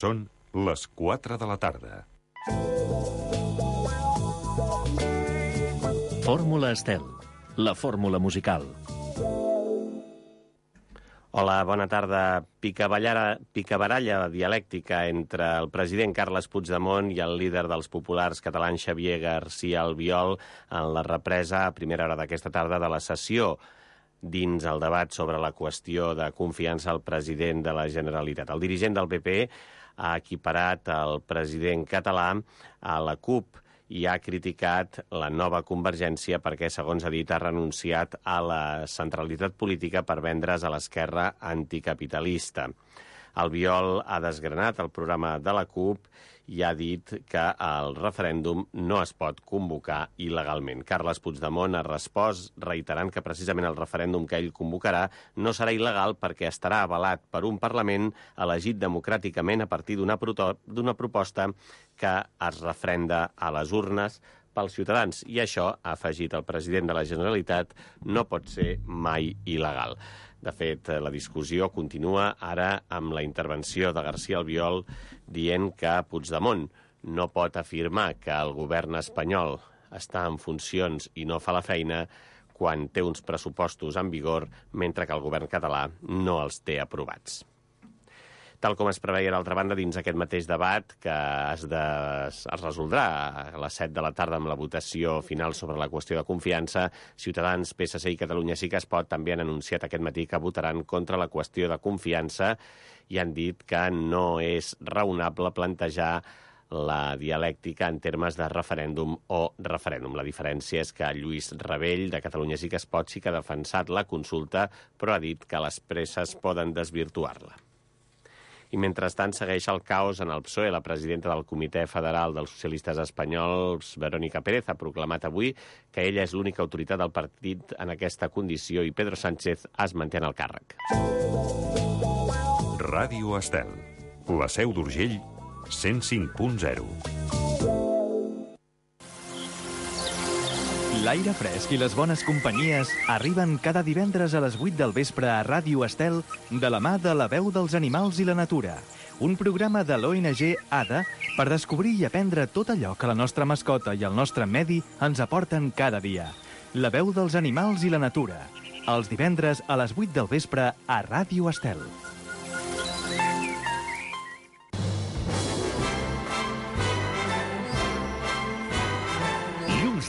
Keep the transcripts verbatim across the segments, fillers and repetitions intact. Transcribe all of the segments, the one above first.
Són les quatre de la tarda. Fórmula Estel, la fórmula musical. Hola, bona tarda. Picabaralla, picabaralla dialèctica entre el president Carles Puigdemont i el líder dels populars catalans Xavier García Albiol en la represa a primera hora d'aquesta tarda de la sessió dins el debat sobre la qüestió de confiança al president de la Generalitat. El dirigent del P P ha equiparat el president català a la CUP i ha criticat la nova Convergència perquè, segons ha dit, ha renunciat a la centralitat política per vendre's a l'esquerra anticapitalista. Albiol ha desgranat el programa de la CUP i ha dit que el referèndum no es pot convocar il·legalment. Carles Puigdemont ha respost reiterant que precisament el referèndum que ell convocarà no serà il·legal perquè estarà avalat per un Parlament elegit democràticament a partir d'una d'una proposta que es refrenda a les urnes pels ciutadans. I això, ha afegit el president de la Generalitat, no pot ser mai il·legal. De fet, la discussió continua ara amb la intervenció de García Albiol dient que Puigdemont no pot afirmar que el govern espanyol està en funcions i no fa la feina quan té uns pressupostos en vigor, mentre que el govern català no els té aprovats. Tal com es preveia, d'altra banda, dins aquest mateix debat, que es, de, es resoldrà a les set de la tarda amb la votació final sobre la qüestió de confiança, Ciutadans, P S C i Catalunya Sí que es pot també han anunciat aquest matí que votaran contra la qüestió de confiança i han dit que no és raonable plantejar la dialèctica en termes de referèndum o referèndum. La diferència és que Lluís Rabell, de Catalunya Sí que es pot, sí que ha defensat la consulta, però ha dit que les presses poden desvirtuar-la. I mentrestant segueix el caos en el P S O E. La presidenta del Comitè Federal dels Socialistes Espanyols, Verónica Pérez, ha proclamat avui que ella és l'única autoritat del partit en aquesta condició i Pedro Sánchez es manté en el càrrec. Ràdio Estel, la Seu d'Urgell, cent cinc punt zero. L'aire fresc i les bones companyies arriben cada divendres a les vuit del vespre a Ràdio Estel de la mà de La Veu dels Animals i la Natura, un programa de l'O N G A D A per descobrir i aprendre tot allò que la nostra mascota i el nostre medi ens aporten cada dia. La Veu dels Animals i la Natura, els divendres a les vuit del vespre a Ràdio Estel.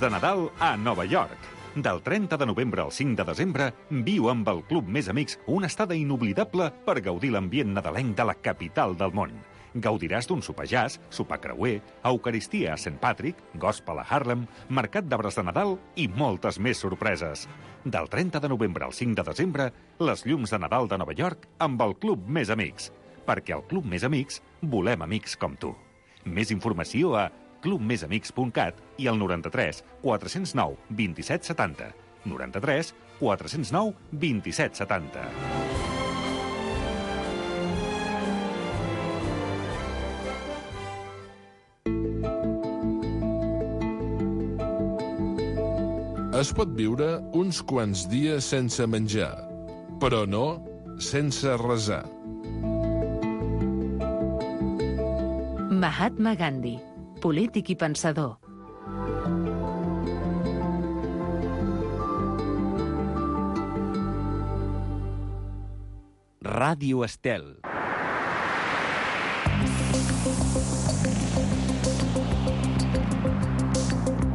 De Nadal a Nova York. Del trenta de novembre al cinc de desembre, viu amb el Club Més Amics una estada inoblidable per gaudir l'ambient nadalenc de la capital del món. Gaudiràs d'un sopar jazz, sopar creuer, eucaristia a Saint Patrick, gospel a Harlem, mercat d'arbres de Nadal i moltes més sorpreses. Del trenta de novembre al cinc de desembre, les llums de Nadal de Nova York amb el Club Més Amics. Perquè al Club Més Amics volem amics com tu. Més informació a club més amics punt cat i al noranta-tres quatre-cents nou vint-i-set setanta. noranta-tres quatre-cents nou vint-i-set setanta. Es pot viure uns quants dies sense menjar, però no sense resar. Mahatma Gandhi, polític i pensador. Ràdio Estel.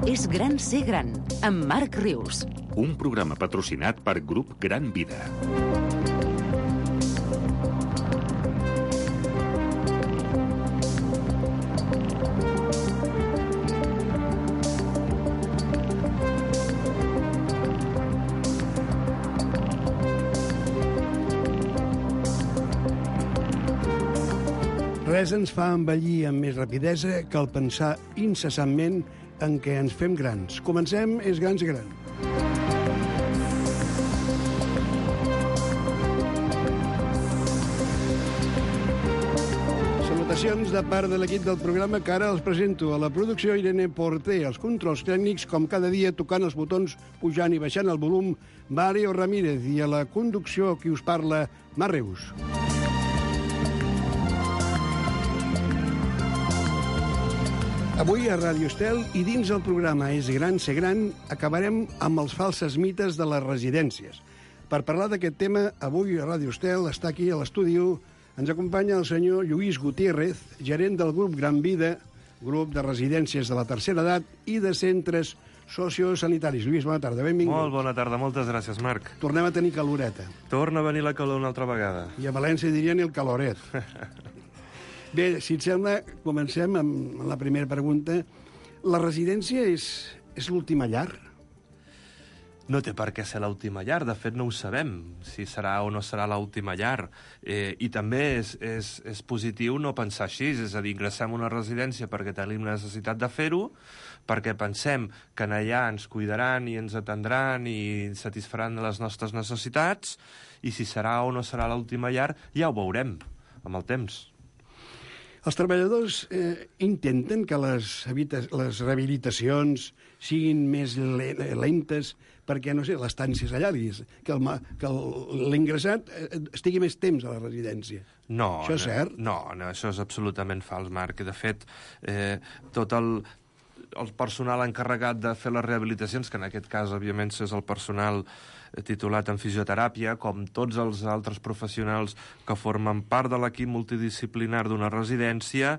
És gran ser gran, amb Marc Rius. Un programa patrocinat per Grup Gran Vida. Res ens fa envellir amb més rapidesa que el pensar incessantment en què ens fem grans. Comencem És Grans Gran. Salutacions de part de l'equip del programa que ara els presento. A la producció Irene Porter, als controls tècnics, com cada dia tocant els botons, pujant i baixant el volum, Mario Ramírez, i a la conducció qui us parla, Mar Rius. Avui a Ràdio Estel i dins el programa És gran ser gran acabarem amb els falsos mites de les residències. Per parlar d'aquest tema, avui a Ràdio Estel està aquí a l'estudi, ens acompanya el senyor Lluís Gutiérrez, gerent del grup Gran Vida, grup de residències de la tercera edat i de centres sociosanitaris. Lluís, bona tarda, benvingut. Molt bona tarda, moltes gràcies, Marc. Tornem a tenir caloreta. Torna a venir la calor una altra vegada. I a València dirien el caloret. Bé, si et sembla, comencem amb la primera pregunta. La residència és, és l'última llar? No té per què ser l'última llar, de fet no ho sabem, si serà o no serà l'última llar. Eh, I també és, és, és positiu no pensar així, és a dir, ingressem a una residència perquè tenim necessitat de fer-ho, perquè pensem que allà ens cuidaran i ens atendran i satisfaran les nostres necessitats, i si serà o no serà l'última llar ja ho veurem amb el temps. Els treballadors eh, intenten que les, les rehabilitacions siguin més lentes perquè, no sé, l'estància s'allargui, que l'ingressat estigui més temps a la residència. No, això és cert? No, no, això és absolutament fals, Marc. De fet, eh, tot el, el personal encarregat de fer les rehabilitacions, que en aquest cas, òbviament, és el personal titulat en fisioteràpia, com tots els altres professionals que formen part de l'equip multidisciplinar d'una residència,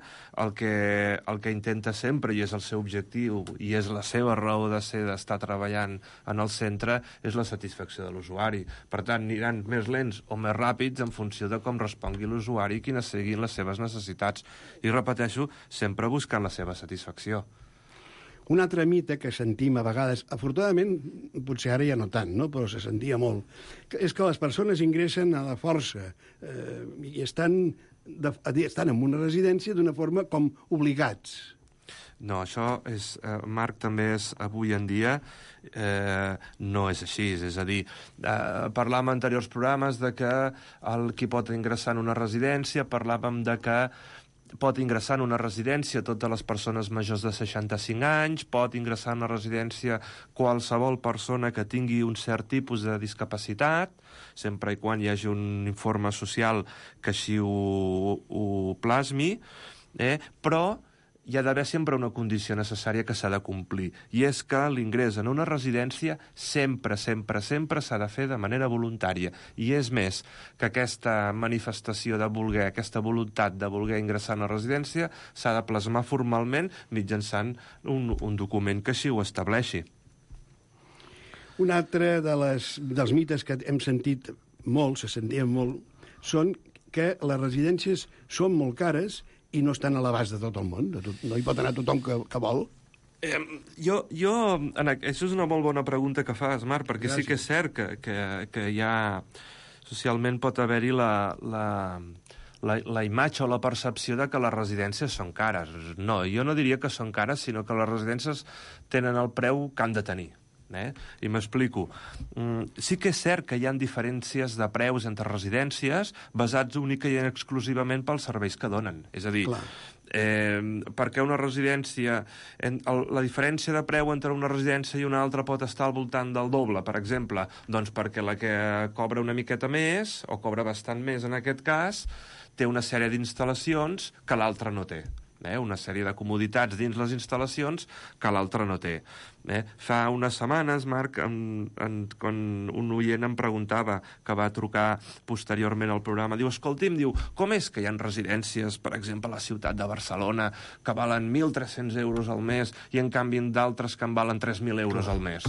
el que, el que intenta sempre, i és el seu objectiu, i és la seva raó de ser, d'estar treballant en el centre, és la satisfacció de l'usuari. Per tant, aniran més lents o més ràpids en funció de com respongui l'usuari i quines siguin les seves necessitats. I repeteixo, sempre buscant la seva satisfacció. Un altre mite que sentim a vegades, afortunadament, potser ara ja no tant, no? Però se sentia molt, és que les persones ingressen a la força eh, i estan, de, estan en una residència d'una forma com obligats. No, això, és, eh, Marc, també és avui en dia, eh, no és així. És a dir, eh, parlàvem en anteriors programes de que el qui pot ingressar en una residència, parlàvem de que pot ingressar en una residència totes les persones majors de seixanta-cinc anys, pot ingressar en una residència qualsevol persona que tingui un cert tipus de discapacitat, sempre i quan hi hagi un informe social que així ho, ho plasmi, eh? Però hi ha d'haver sempre una condició necessària que s'ha de complir, i és que l'ingrés en una residència sempre, sempre, sempre s'ha de fer de manera voluntària. I és més, que aquesta manifestació de voler, aquesta voluntat de voler ingressar en una residència s'ha de plasmar formalment mitjançant un, un document que així ho estableixi. Un altre de les, dels mites que hem sentit molt, se sentien molt, són que les residències són molt cares i no estan a l'abast de tot el món. De tot, no hi pot anar tothom que, que vol. Eh, jo, jo en, això és una molt bona pregunta que fas, Marc, perquè Gràcies. Sí que és cert que, que, que ja socialment pot haver-hi la, la, la, la imatge o la percepció de que les residències són cares. No, jo no diria que són cares, sinó que les residències tenen el preu que han de tenir. Eh? I m'explico. Mm, sí que és cert que hi ha diferències de preus entre residències basats única i exclusivament pels serveis que donen. És a dir, eh, perquè una residència, en, el, la diferència de preu entre una residència i una altra pot estar al voltant del doble, per exemple, doncs perquè la que cobra una miqueta més, o cobra bastant més en aquest cas, té una sèrie d'instal·lacions que l'altra no té. Eh, una sèrie de comoditats dins les instal·lacions que l'altre no té. Eh, fa unes setmanes, Marc, en, en, quan un oient em preguntava, que va trucar posteriorment al programa, diu, escolti'm, diu, com és que hi ha residències, per exemple, a la ciutat de Barcelona, que valen mil tres-cents euros al mes i, en canvi, d'altres que en valen tres mil euros al mes?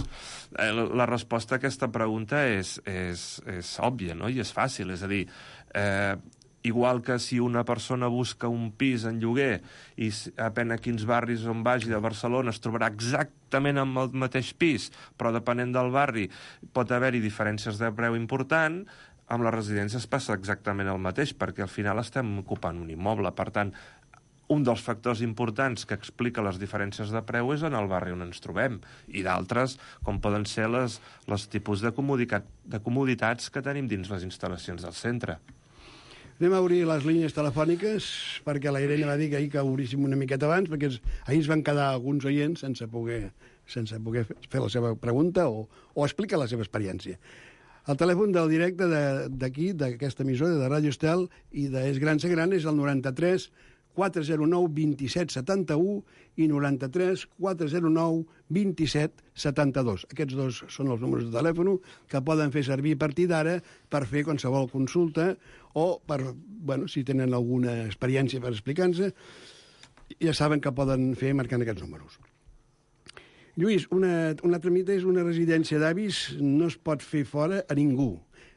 Eh, la, la resposta a aquesta pregunta és, és, és òbvia, no? I és fàcil, és a dir, eh, igual que si una persona busca un pis en lloguer i depèn a quins barris on vagi de Barcelona es trobarà exactament amb el mateix pis, però depenent del barri pot haver-hi diferències de preu important, amb les residències passa exactament el mateix, perquè al final estem ocupant un immoble. Per tant, un dels factors importants que explica les diferències de preu és en el barri on ens trobem, i d'altres, com poden ser les, les tipus de, comoditat, de comoditats que tenim dins les instal·lacions del centre. Anem a obrir les línies telefòniques, perquè la Irene va dir que ahir que obríssim una miqueta abans, perquè ahir es van quedar alguns oients sense poder, sense poder fer la seva pregunta o, o explicar la seva experiència. El telèfon del directe d'aquí, d'aquesta emissora, de Ràdio Estel i de És Gran Ser Gran, és el noranta-tres quatre zero nou vint set setanta-u i noranta-tres quatre zero nou vint set setanta-dos. Aquests dos són els números de telèfon que poden fer servir a partir d'ara per fer qualsevol consulta o per, bueno, si tenen alguna experiència per explicar-nos, ja saben que poden fer marcant aquests números. Lluís, una, un altre mite és una residència d'avis no es pot fer fora a ningú,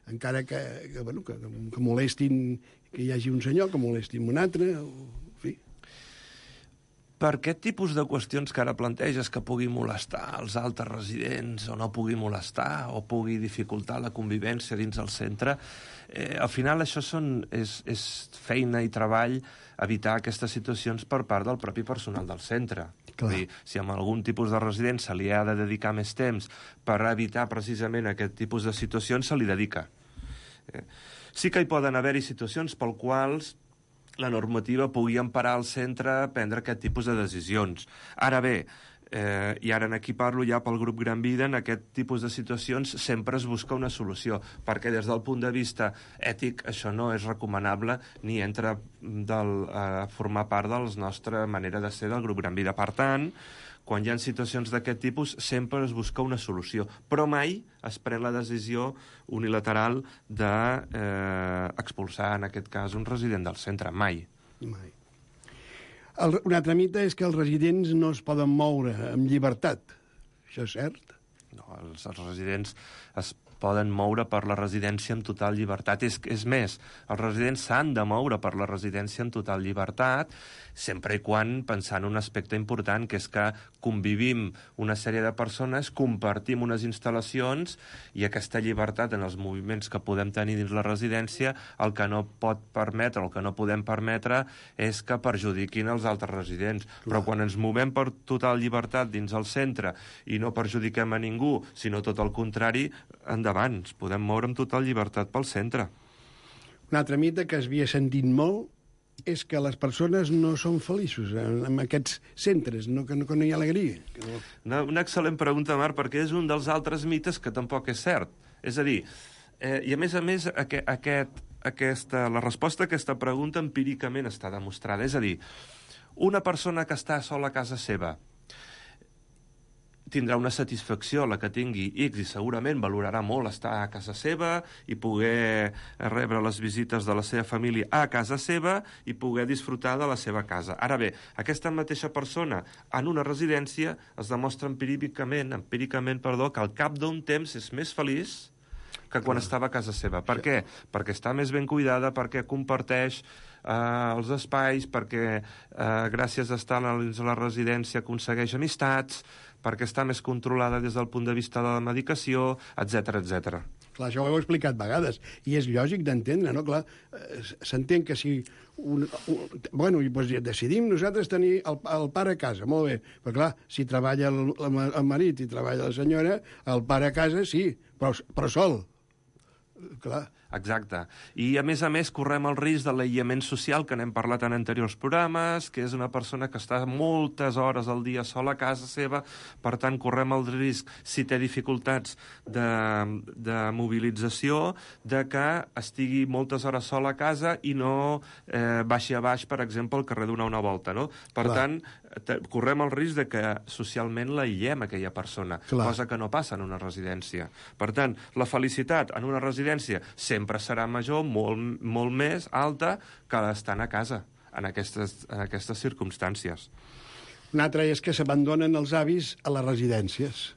encara que, que, bueno, que, que molestin, que hi hagi un senyor, que molestin un altre, o, en fi. Per aquest tipus de qüestions que ara planteges, que pugui molestar els altres residents o no pugui molestar o pugui dificultar la convivència dins el centre, eh, al final això són, és, és feina i treball evitar aquestes situacions per part del propi personal del centre. Dir, si amb algun tipus de resident se li ha de dedicar més temps per evitar precisament aquest tipus de situacions, se li dedica. Eh, sí que hi poden haver-hi situacions pel quals la normativa pugui emparar el centre a prendre aquest tipus de decisions. Ara bé, eh, i ara aquí parlo ja pel grup Gran Vida, en aquest tipus de situacions sempre es busca una solució, perquè des del punt de vista ètic això no és recomanable ni entra del, a formar part de la nostra manera de ser del grup Gran Vida. Per tant, quan hi ha situacions d'aquest tipus, sempre es busca una solució, però mai es pren la decisió unilateral d'expulsar, eh, en aquest cas, un resident del centre. Mai. Mai. El, un altre mite és que els residents no es poden moure amb llibertat. Això és cert? No, els, els residents es poden moure per la residència amb total llibertat. És, és més, els residents s'han de moure per la residència amb total llibertat, sempre i quan pensant un aspecte important, que és que convivim una sèrie de persones, compartim unes instal·lacions i aquesta llibertat en els moviments que podem tenir dins la residència, el que no pot permetre, el que no podem permetre és que perjudiquin els altres residents. Clar. Però quan ens movem per total llibertat dins el centre i no perjudiquem a ningú, sinó tot el contrari, endavant, ens podem moure amb total llibertat pel centre. Un altre mite que es havia sentit molt és que les persones no són feliços en, en aquests centres, no, que, no, que no hi ha alegria. Que no... Una, una excel·lent pregunta, Marc, perquè és un dels altres mites que tampoc és cert. És a dir, eh, i a més a més, aquest, aquest, aquesta, la resposta a aquesta pregunta empíricament està demostrada. És a dir, una persona que està sola a casa seva tindrà una satisfacció, la que tingui X, i segurament valorarà molt estar a casa seva i poder rebre les visites de la seva família a casa seva i poder disfrutar de la seva casa. Ara bé, aquesta mateixa persona en una residència es demostra empíricament, empíricament perdó, que al cap d'un temps és més feliç que quan estava a casa seva. Per què? Perquè està més ben cuidada, perquè comparteix eh, els espais, perquè eh, gràcies a estar a la residència aconsegueix amistats, perquè està més controlada des del punt de vista de la medicació, etcètera, etcètera. Clar, això ho heu explicat vegades, i és lògic d'entendre, no? Clar, s'entén que si... Un, un, bueno, i doncs decidim nosaltres tenir el, el pare a casa, molt bé, però clar, si treballa el, el marit i treballa la senyora, el pare a casa sí, però, però sol. Clar. Exacte. I, a més a més, correm el risc de l'aïllament social, que n'hem parlat en anteriors programes, que és una persona que està moltes hores al dia sola a casa seva, per tant, correm el risc, si té dificultats de, de mobilització, de que estigui moltes hores sola a casa i no eh, baixi a baix, per exemple, al carrer donar una volta, no? Per Clar. tant, correm el risc de que socialment l'aïllem aquella persona, Clar. cosa que no passa en una residència. Per tant, la felicitat en una residència sempre serà major, molt, molt més alta que estant a casa en aquestes, en aquestes circumstàncies. Un altre és que s'abandonen els avis a les residències.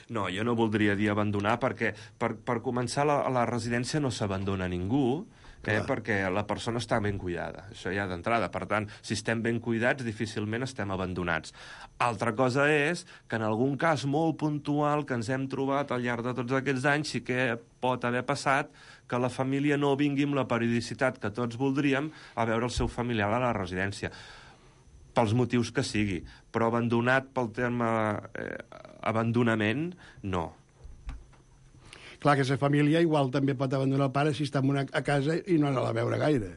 No, jo no voldria dir abandonar, perquè per, per començar la, a la residència no s'abandona ningú, eh, perquè la persona està ben cuidada, això ja d'entrada. Per tant, si estem ben cuidats, difícilment estem abandonats. Altra cosa és que en algun cas molt puntual que ens hem trobat al llarg de tots aquests anys sí que pot haver passat que la família no vingui amb la periodicitat que tots voldríem a veure el seu familiar a la residència, pels motius que sigui, però abandonat pel terme eh, abandonament, no. Clar que la família igual també pot abandonar el pare si està a casa i no anar a veure gaire.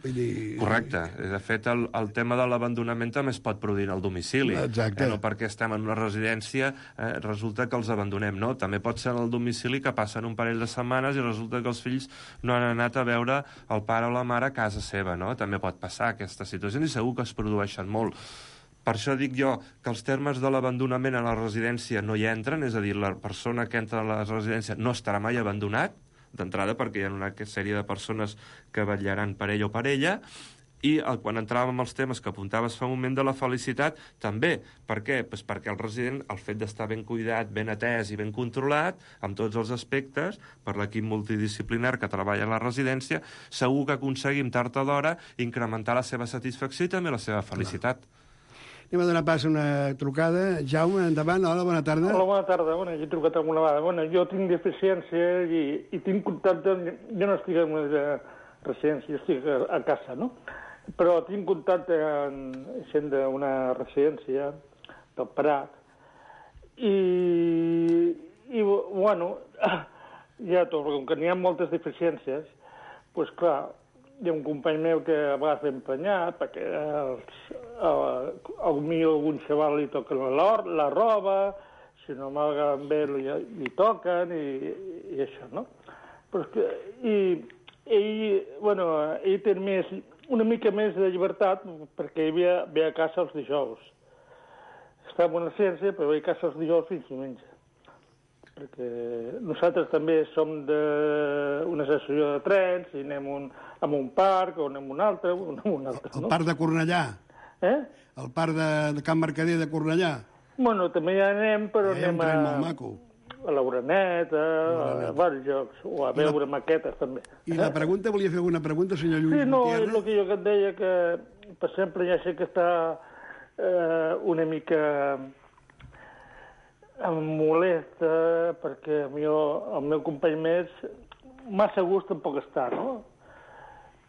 Vull dir... Correcte. De fet, el, el tema de l'abandonament també es pot produir al domicili. Exacte. Eh, no perquè estem en una residència eh, resulta que els abandonem, no. També pot ser al domicili que passen un parell de setmanes i resulta que els fills no han anat a veure el pare o la mare a casa seva, no? També pot passar aquesta situació i segur que es produeixen molt. Per això dic jo que els termes de l'abandonament a la residència no hi entren, és a dir, la persona que entra a la residència no estarà mai abandonat, d'entrada perquè hi ha una sèrie de persones que vetllaran per ell o per ella, i el, quan entràvem als temes que apuntaves fa un moment de la felicitat, també. Per què? Pues perquè el resident, el fet d'estar ben cuidat, ben atès i ben controlat, amb tots els aspectes, per l'equip multidisciplinar que treballa a la residència, segur que aconseguim tard o d'hora incrementar la seva satisfacció i també la seva felicitat. Clar. Anem a donar pas a una trucada. Jaume, endavant. Hola, bona tarda. Hola, bona tarda. Bueno, jo he trucat alguna vegada. Bueno, jo tinc deficiència i, i tinc contacte... Jo no estic en una residència, jo estic a, a casa, no? Però tinc contacte amb gent d'una residència del Prat i, i bueno, ja tot, com que n'hi ha moltes deficiències, doncs clar, hi ha un company meu que a vegades l'he emprenyat perquè els, el, el millor algun xaval li toquen la, la roba, si no m'agaven bé li, li toquen i, i això, no? Però és que, i ell, bueno, ell té més, una mica més de llibertat perquè ell ve, ve a casa els dijous. Està en una ciència, però ve a casa els dijous fins diumenge. Perquè nosaltres també som d'una associació de trens i anem un, a un parc o anem a un altre, o anem a un altre, no? El parc de Cornellà? Eh? El parc de, de Can Mercader de Cornellà? Bueno, també hi anem, però eh, anem a... a, molt maco. a l'Uraneta, a, a diversos jocs, o a veure la... maquetes també. I la pregunta, volia fer alguna pregunta, senyor Lluís Sí, no, Gutiérrez? és el que jo que et deia, que per exemple ja sé que està eh, una mica... em molesta perquè el meu, el meu company més massa gust tampoc està, no?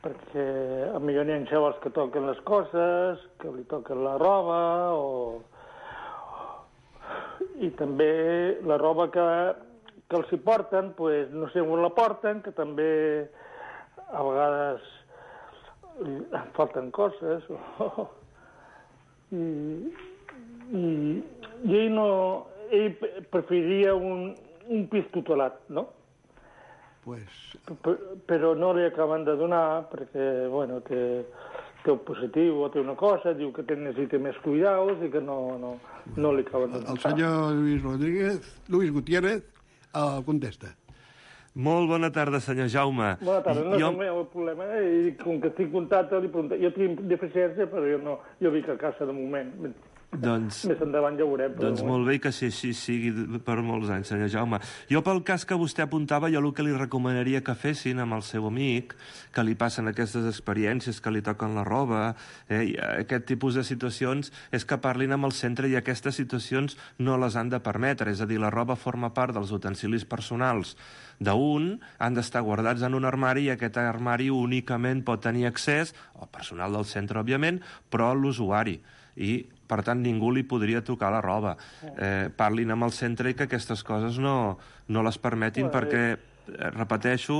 Perquè a millor n'hi ha xavals que toquen les coses, que li toquen la roba, o... i també la roba que, que els hi porten, pues, no sé on la porten, que també a vegades em falten coses, o... I, i, i ell no... ell preferiria un, un pis tutelat, no? Pues... Però no li acaben de donar perquè, bueno, té, té un positiu o té una cosa, diu que té, necessita més cuidados i que no, no, no li acaben de donar. El senyor Lluís Rodríguez, Lluís Gutiérrez, el contesta. Molt bona tarda, senyor Jaume. Bona tarda, no jo... és el meu problema, eh? I com que estic en contacte, li pregunto, jo tinc deficiència, però jo no, jo vic a casa de moment. Doncs, més endavant ja ho veurem. Doncs molt bé que així, així sigui per molts anys, senyor Jaume. Jo, pel cas que vostè apuntava, jo el que li recomanaria que fessin amb el seu amic, que li passen aquestes experiències, que li toquen la roba, eh, aquest tipus de situacions, és que parlin amb el centre i aquestes situacions no les han de permetre. És a dir, la roba forma part dels utensilis personals d'un, han d'estar guardats en un armari i aquest armari únicament pot tenir accés, al personal del centre, òbviament, però a l'usuari. I, per tant, ningú li podria tocar la roba. Eh, parlin amb el centre i que aquestes coses no, no les permetin perquè, eh, repeteixo,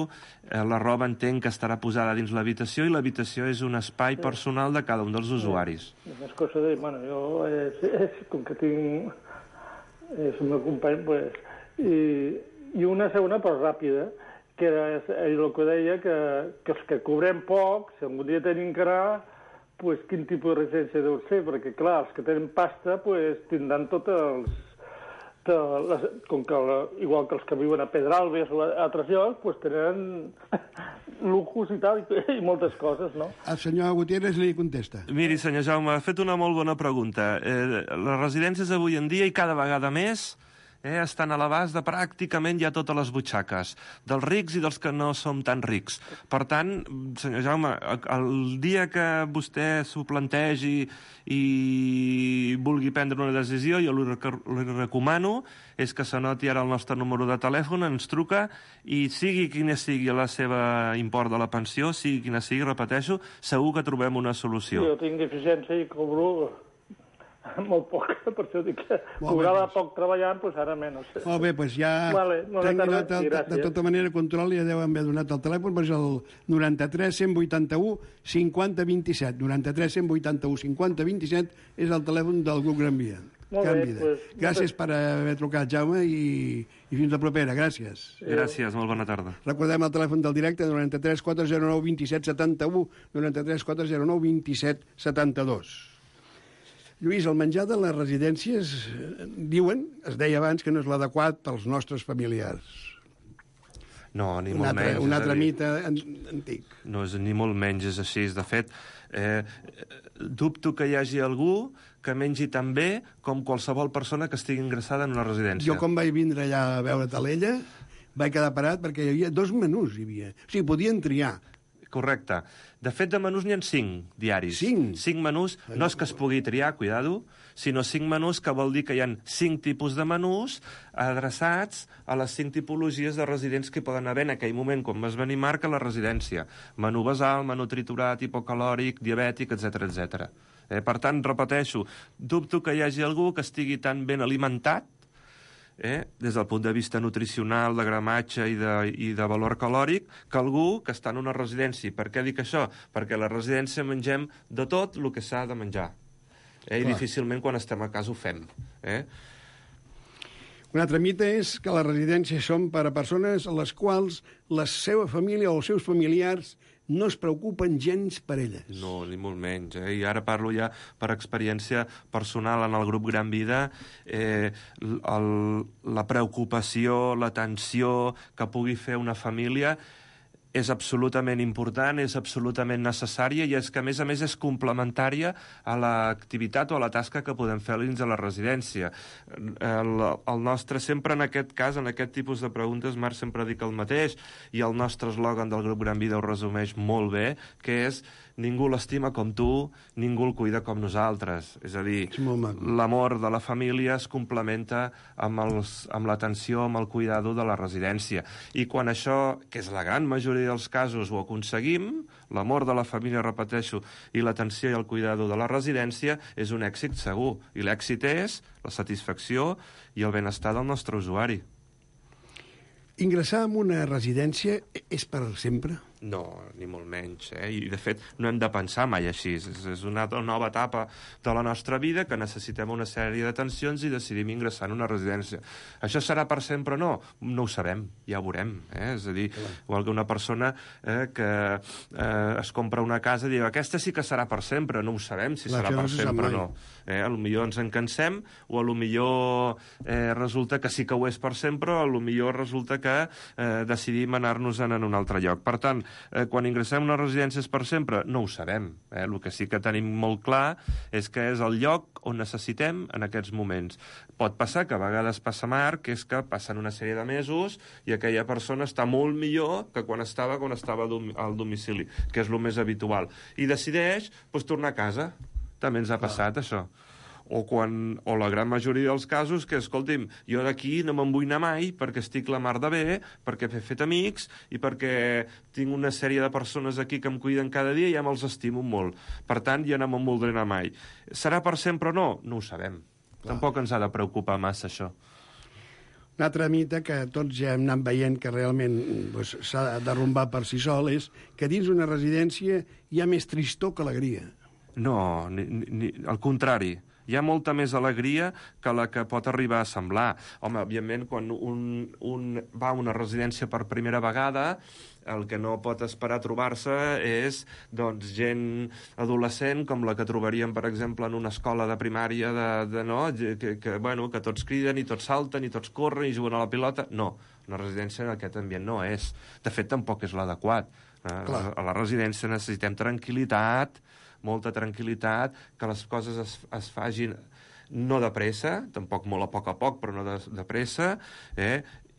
eh, la roba entenc que estarà posada dins l'habitació i l'habitació és un espai personal de cada un dels usuaris. Sí. És cosa de... Bueno, jo, és, és, com que tinc... És el meu company, pues... I, i una segona, però ràpida, que era el que deia, que, que els que cobrem poc, si algun dia tenim que anar, pues, quin tipus de residència deu ser, perquè, clar, els que tenen pasta pues, tindran tots els... De les, com que, igual que els que viuen a Pedralbes o a altres llocs, pues, tenen luxos i tal, i, i moltes coses, no? El senyor Gutiérrez li contesta. Miri, senyor Jaume, ha fet una molt bona pregunta. Eh, les residències avui en dia, i cada vegada més, eh, estan a l'abast de pràcticament ja totes les butxaques, dels rics i dels que no som tan rics. Per tant, senyor Jaume, el dia que vostè s'ho plantegi i vulgui prendre una decisió, jo li, li recomano és que s'anoti ara el nostre número de telèfon, ens truca i sigui quina sigui la seva import de la pensió, sigui quina sigui, repeteixo, segur que trobem una solució. Jo tinc deficiència i cobro molt poc, per això dic que cobrava poc treballant, doncs ara menys. Molt bé, doncs ja vale, t'han donat, el, de tota manera, control, ja deuen haver donat el telèfon, però és el noranta-tres cent vuitanta-u cinquanta vint-i-set. noranta-tres cent vuitanta-u cinquanta vint-i-set és el telèfon del grup Gran Via. Molt Gran bé, Vida. Pues, gràcies per haver trucat, Jaume, i, i fins la propera. Gràcies. Gràcies, molt bona tarda. Recordem el telèfon del directe, noranta-tres quatre zero nou vint set setanta-u, noranta-tres quatre zero nou vint set setanta-dos. Lluís, el menjar de les residències, diuen, es deia abans, que no és l'adequat pels nostres familiars. No, ni un molt altre, menys. Un altre mite antic. No és ni molt menys, és així. De fet, eh, dubto que hi hagi algú que mengi tan bé com qualsevol persona que estigui ingressada en una residència. Jo, quan vaig vindre allà a veure Talella, vaig quedar parat perquè hi havia dos menús. Hi havia. O sigui, podien triar. Correcte. De fet, de menús n'hi ha cinc diaris. Cinc? Cinc menús. No és que es pugui triar, cuidado, sinó cinc menús, que vol dir que hi ha cinc tipus de menús adreçats a les cinc tipologies de residents que poden haver en aquell moment, quan vas venir, Marc, a la residència. Menú basal, menú triturat, hipocalòric, diabètic, etcètera, etcètera. Eh, per tant, repeteixo, dubto que hi hagi algú que estigui tan ben alimentat, Eh, des del punt de vista nutricional, de gramatge i de, i de valor calòric, que algú que està en una residència. Per què dic això? Perquè a la residència mengem de tot el que s'ha de menjar. Eh, I difícilment quan estem a casa ho fem. Eh? Un altre mite és que les residències són per a persones a les quals la seva família o els seus familiars no es preocupen gens per elles. No, ni molt menys. Eh? I ara parlo ja per experiència personal en el grup Gran Vida. Eh, el, la preocupació, l'atenció que pugui fer una família és absolutament important, és absolutament necessària i és que, a més a més, és complementària a l'activitat o a la tasca que podem fer dins de la residència. El, el nostre, sempre en aquest cas, en aquest tipus de preguntes, Marc, sempre dic el mateix, i el nostre eslògan del grup Gran Vida ho resumeix molt bé, que és ningú l'estima com tu, ningú el cuida com nosaltres. És a dir, l'amor de la família es complementa amb, els, amb l'atenció, amb el cuidado de la residència. I quan això, que és la gran majoria dels casos, ho aconseguim, l'amor de la família, repeteixo, i l'atenció i el cuidado de la residència, és un èxit segur. I l'èxit és la satisfacció i el benestar del nostre usuari. Ingressar en una residència és per sempre? No, ni molt menys. Eh? I, de fet, no hem de pensar mai així. És, és una nova etapa de la nostra vida que necessitem una sèrie d'atencions i decidim ingressar en una residència. Això serà per sempre o no? No ho sabem, ja ho veurem. Eh? És a dir, igual que una persona eh, que eh, es compra una casa i diu aquesta sí que serà per sempre. No ho sabem si serà per sempre o no. Eh? A lo millor ens en cansem o a lo millor eh, resulta que sí que ho és per sempre o a lo millor resulta que eh, decidim anar-nos-en en un altre lloc. Per tant, Eh, quan ingressem a una residència és per sempre? No ho sabem. Eh? El que sí que tenim molt clar és que és el lloc on necessitem en aquests moments. Pot passar que a vegades passa, Marc, que és que passen una sèrie de mesos i aquella persona està molt millor que quan estava quan estava al domicili, que és el més habitual. I decideix doncs, tornar a casa. També ens ha passat, això. O, quan, o la gran majoria dels casos que, escolti'm, jo d'aquí no me'n vull anar mai perquè estic la mar de bé, perquè he fet amics i perquè tinc una sèrie de persones aquí que em cuiden cada dia i ja me'ls estimo molt. Per tant, jo no me'n voldré anar mai. Serà per sempre o no? No ho sabem. Clar. Tampoc ens ha de preocupar massa, això. Un altre mite que tots ja hem anat veient que realment doncs, s'ha derrumbat per si sol és que dins una residència hi ha més tristor que alegria. No, ni, ni, al contrari. Hi ha molta més alegria que la que pot arribar a semblar. Home, òbviament, quan un, un va a una residència per primera vegada, el que no pot esperar trobar-se és doncs, gent adolescent com la que trobaríem, per exemple, en una escola de primària de, de, no? que, que, bueno, que tots criden i tots salten i tots corren i juguen a la pilota. No, una residència en aquest ambient no és. De fet, tampoc és l'adequat. A, a la residència necessitem tranquil·litat, molta tranquil·litat, que les coses es, es fagin no de pressa, tampoc molt a poc a poc, però no de, de pressa, eh?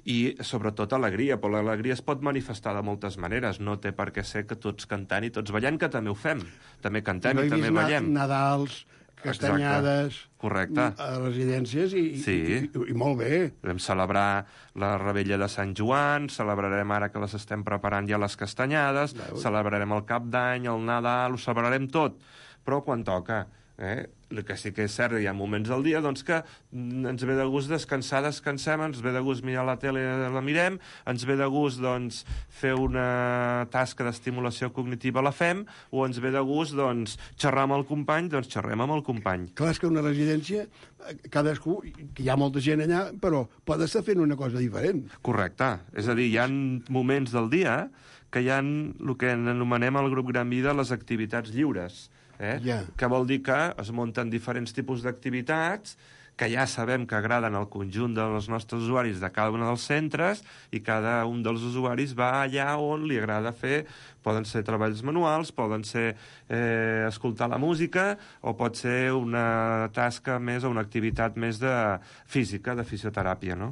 I sobretot alegria, però l'alegria es pot manifestar de moltes maneres, no té per què ser que tots cantant i tots ballant, que també ho fem, també cantem no i també ballem. Nadals, castanyades... Exacte. Correcte. A residències i, sí. i, i, i molt bé. Vam celebrar la Rebella de Sant Joan, celebrarem ara que les estem preparant ja les castanyades, Veus? Celebrarem el Cap d'Any, el Nadal, ho celebrarem tot. però quan toca. Eh? El que sí que és cert, hi ha moments del dia doncs, que ens ve de gust descansar, descansem, ens ve de gust mirar la tele, la mirem, ens ve de gust doncs, fer una tasca d'estimulació cognitiva, la fem, o ens ve de gust doncs, xerrar amb el company, doncs xerrem amb el company. Clar, és que una residència, cadascú, que hi ha molta gent allà, però pot estar fent una cosa diferent. Correcte. És a dir, hi ha moments del dia que hi ha el que anomenem al grup Gran Vida les activitats lliures. Eh? Yeah. Que vol dir que es munten diferents tipus d'activitats que ja sabem que agraden al conjunt dels nostres usuaris de cada un dels centres i cada un dels usuaris va allà on li agrada fer. Poden ser treballs manuals, poden ser eh, escoltar la música o pot ser una tasca més o una activitat més de física, de fisioteràpia, no?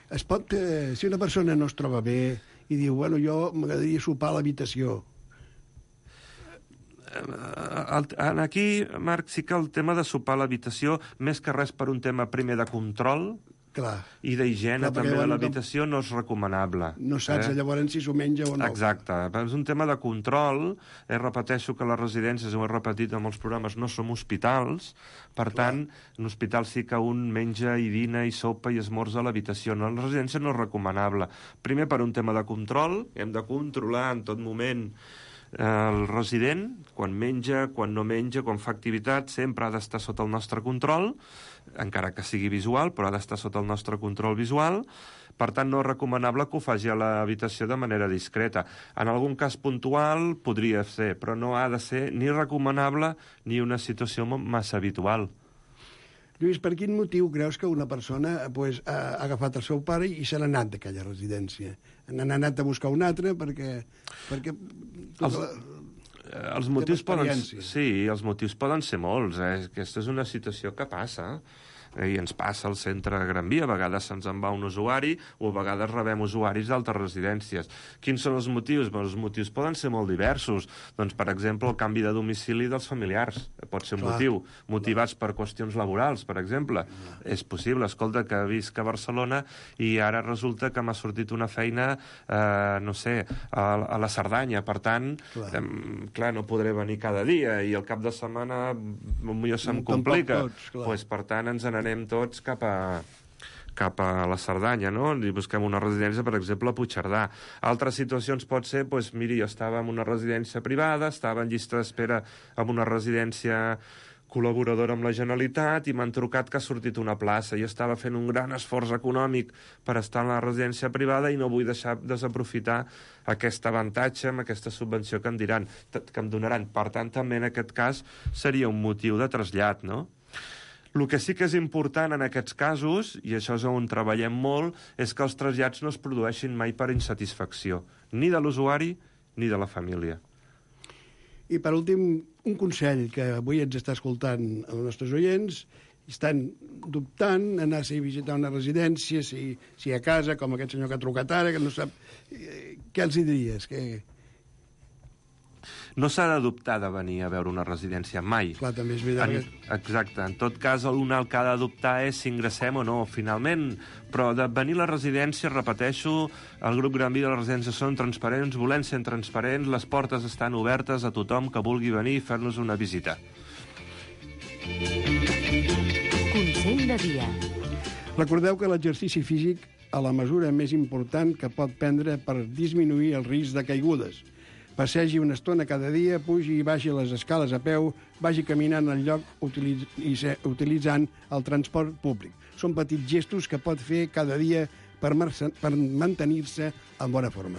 Es pot, eh, si una persona no es troba bé i diu, bueno, jo m'agradaria sopar a l'habitació, aquí, Marc, sí que el tema de sopar a l'habitació, més que res per un tema primer de control, clar, i d'higiene també de l'habitació, no és recomanable. No saps eh? llavors si s'ho menja o no. Exacte. És un tema de control. Eh, repeteixo que les residències, ho he repetit en molts programes, no som hospitals. Per clar. tant, en hospital sí que un menja i dina i sopa i esmorza a l'habitació. No, en la residència no és recomanable. Primer, per un tema de control. Hem de controlar en tot moment el resident, quan menja, quan no menja, quan fa activitat, sempre ha d'estar sota el nostre control, encara que sigui visual, però ha d'estar sota el nostre control visual. Per tant, no és recomanable que ho faci a l'habitació de manera discreta. En algun cas puntual podria ser, però no ha de ser ni recomanable ni una situació massa habitual. Lluís, per quin motiu creus que una persona pues, ha agafat el seu pare i se n'ha anat d'aquella residència? N'han anat a buscar una altra perquè... perquè els, la... els motius poden... Sí, els motius poden ser molts. Eh? Aquesta és una situació que passa. I ens passa al centre de Gran Via, a vegades se'ns en va un usuari o a vegades rebem usuaris d'altres residències. Quins són els motius? Bé, els motius poden ser molt diversos. Doncs, per exemple, el canvi de domicili dels familiars pot ser un Clar. motiu. Motivats Clar. per qüestions laborals, per exemple. Clar. És possible. Escolta, que visc a Barcelona i ara resulta que m'ha sortit una feina, eh, no sé, a, a la Cerdanya. Per tant, clar. Eh, clar, no podré venir cada dia i el cap de setmana potser se'm complica. Tots, pues, per tant, ens n'anem anem tots cap a, cap a la Cerdanya, no? I busquem una residència, per exemple, a Puigcerdà. Altres situacions pot ser, doncs, miri, jo estava en una residència privada, estava en llista d'espera en una residència col·laboradora amb la Generalitat i m'han trucat que ha sortit una plaça. Jo estava fent un gran esforç econòmic per estar en la residència privada i no vull deixar desaprofitar aquest avantatge amb aquesta subvenció que em diran, que em donaran. Per tant, també en aquest cas seria un motiu de trasllat, no? El que sí que és important en aquests casos, i això és on treballem molt, és que els trasllats no es produeixin mai per insatisfacció, ni de l'usuari ni de la família. I per últim, un consell que avui ens està escoltant els nostres oients, estan dubtant anar a visitar una residència, si, si a casa, com aquest senyor que ha trucat ara, que no sap... Què els hi diries? Que... No s'ha de dubtar de venir a veure una residència, mai. Clar, també és veritat. En, exacte. En tot cas, un el que ha de dubtar és si ingressem o no, finalment. Però de venir a la residència, repeteixo, el grup Gran Vida de la residència són transparents, volem ser transparents, les portes estan obertes a tothom que vulgui venir i fer-nos una visita. Consell de dia. Recordeu que l'exercici físic a la mesura més important que pot prendre per disminuir el risc de caigudes. Passegi una estona cada dia, pugi i baixi les escales a peu, vagi caminant al lloc utilitz i utilitzant el transport públic. Són petits gestos que pot fer cada dia per, per mantenir-se en bona forma.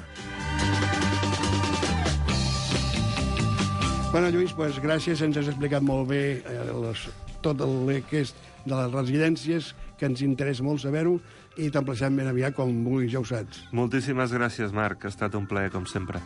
Bueno, Lluís, pues, gràcies, ens has explicat molt bé eh, les, tot el que és de les residències, que ens interessa molt saber-ho, i t'emplacem ben aviat com vulguis, ja ho saps. Moltíssimes gràcies, Marc, ha estat un plaer, com sempre.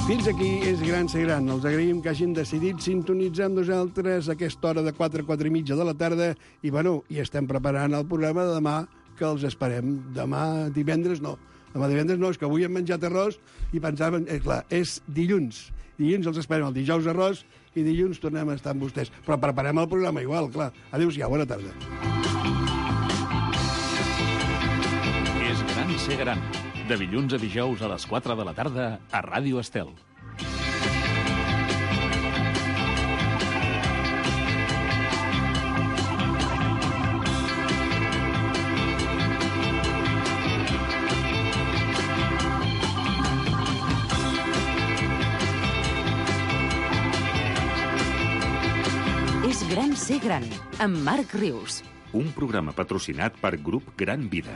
Fins aquí és Gran Ser Gran. Els agraïm que hagin decidit sintonitzar amb nosaltres a aquesta hora de quatre a quatre i mitja de la tarda i, bueno, i estem preparant el programa de demà, que els esperem. Demà divendres no. Demà divendres no, és que avui hem menjat arròs i pensàvem... Eh, clar, és dilluns. Dilluns els esperem, el dijous arròs i dilluns tornem a estar amb vostès. Però preparem el programa igual, clar. Adéu-siau, bona tarda. És Gran Ser Gran. De dilluns a dijous a les quatre de la tarda a Ràdio Estel. És gran ser gran, amb Marc Rius. Un programa patrocinat per Grup Gran Vida.